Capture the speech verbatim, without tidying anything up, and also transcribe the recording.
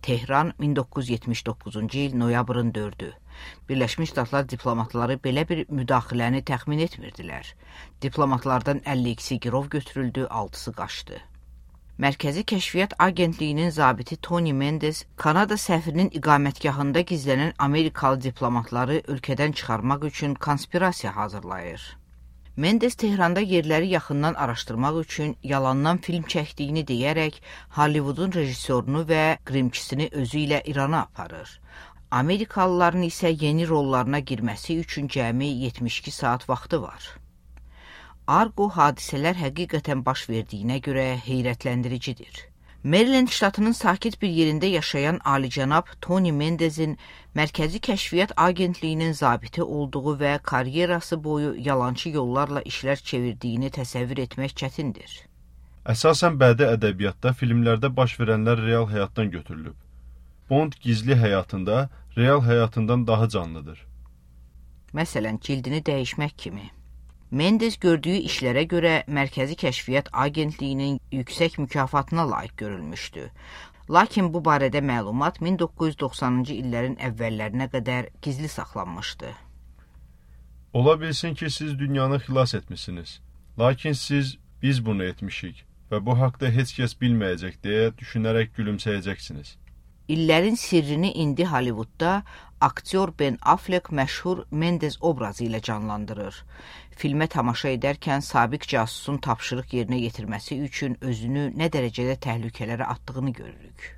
Tehran, min doqquz yüz yetmiş doqquzuncu il noyabrın dördü. Birləşmiş Ştatlar diplomatları belə bir müdaxiləni təxmin etmirdilər. Diplomatlardan əlli ikisi girov götürüldü, altısı qaçdı. Mərkəzi Kəşfiyyat Agentliyinin zabiti Tony Mendes, Kanada səfirinin iqamətgahında gizlənən Amerikalı diplomatları ölkədən çıxarmaq üçün konspirasiya hazırlayır. Mendes Tehranda yerləri yaxından araşdırmaq üçün yalandan film çəkdiyini deyərək Hollywoodun rejissorunu və qrimçisini özü ilə İrana aparır. Amerikalıların isə yeni rollarına girməsi üçün cəmi yetmiş iki saat vaxtı var. Argo hadisələr həqiqətən baş verdiyinə görə heyrətləndiricidir. Maryland ştatının sakit bir yerində yaşayan alicənab Tony Mendes'in Mərkəzi Kəşfiyyat Agentliyinin zabiti olduğu və karyerası boyu yalançı yollarla işlər çevirdiyini təsəvvür etmək çətindir. Əsasən bədii ədəbiyyatda filmlərdə baş verənlər real həyatdan götürülüb. Bond gizli həyatında real həyatından daha canlıdır. Məsələn, cildini dəyişmək kimi. Mendes gördüyü işlərə görə Mərkəzi Kəşfiyyat Agentliyinin yüksək mükafatına layiq görülmüşdü. Lakin bu barədə məlumat min doqquz yüz doxsanıncı illərin əvvəllərinə qədər gizli saxlanmışdı. Ola bilsin ki, siz dünyanı xilas etmişsiniz. Lakin siz, biz bunu etmişik və bu haqda heç kəs bilməyəcək deyə düşünərək gülümsəyəcəksiniz. İllərin sirrini indi Hollywoodda aktyor Ben Affleck məşhur Mendes obrazı ilə canlandırır. Filmə tamaşa edərkən sabiq casusun tapşırıq yerinə yetirməsi üçün özünü nə dərəcədə təhlükələrə atdığını görürük.